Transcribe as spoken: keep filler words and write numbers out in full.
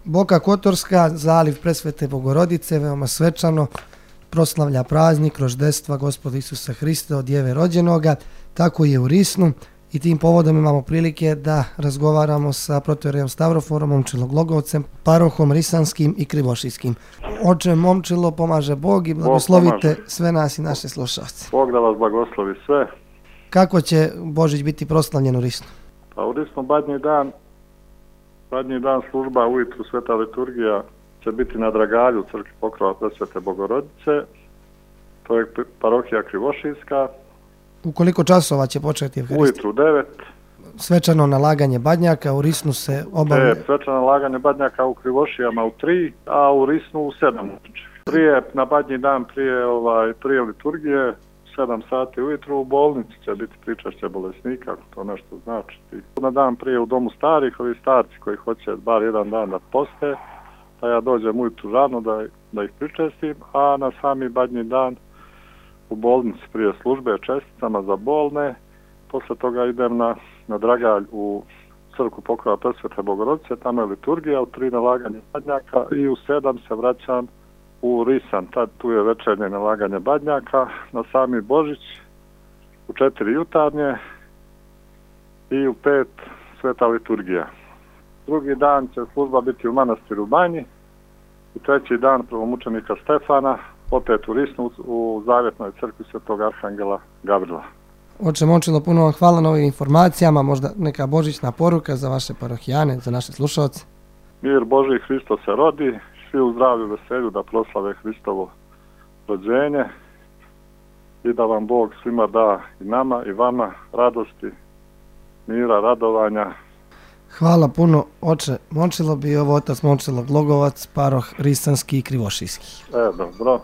Boka Kotorska, zaliv Presvete Bogorodice, veoma svečano proslavlja praznik roždestva Gospoda Isusa Hrista od Djeve rođenoga, tako je u Risnu i tim povodom imamo prilike da razgovaramo sa protoijerejem Stavroforom Momčilo-Glogovcem, parohom Risanskim i Krivošijskim. Oče Momčilo, pomaže Bog i blagoslovite Bog sve nas i naše slušalce. Bog da vas blagoslovi sve. Kako će Božić biti proslavljen u Risnu? Pa u Risnu badnji dan, badnji dan služba ujutru Sveta liturgija će biti na Dragalju u crkvi Pokrova Presvete Bogorodice. To je parohija Krivošijska. U koliko časova će početi Evharistija? Ujutru u devet. Svečano nalaganje badnjaka, u Risnu se obavlja... E, svečano nalaganje badnjaka u Krivošijama u tri, a u Risnu u sedam. Prije, na badnji dan, prije, ovaj, prije liturgije, sedam sati ujutru u bolnici će biti pričašće bolesnika, ako to nešto znači. Na dan prije u domu starih, ovi starci koji hoće bar jedan dan da poste, da ja dođem ujutru rano da, da ih pričestim, a na sami badnji dan u bolnici prije službe česticama za bolne. Posle toga idem na, na Dragalj u crkvu Pokrova Presvete Bogorodice, tamo je liturgija, u tri nalaganje badnjaka i u sedam se vraćam u Risan. Tad tu je večernje nalaganje badnjaka, na sami Božić u četiri jutarnje i u pet sveta liturgija. Drugi dan će služba biti u manastiru Banji i treći dan prvomučenika Stefana opet u Risnu u Zavjetnoj crkvi Svetog Arhangela Gavrila. Oče Momčilo, puno vam hvala na ovim informacijama, možda neka božićna poruka za vaše parohijane, za naše slušalce. Mir Božji, Hristo se rodi, svi u zdravlju veselju da proslave Hristovo rođenje i da vam Bog svima da i nama i vama radosti, mira, radovanja. Hvala puno, oče Momčilo, bio ovo otac Momčilo-Glogovac, paroh Risanski i Krivošijski. E, dobro.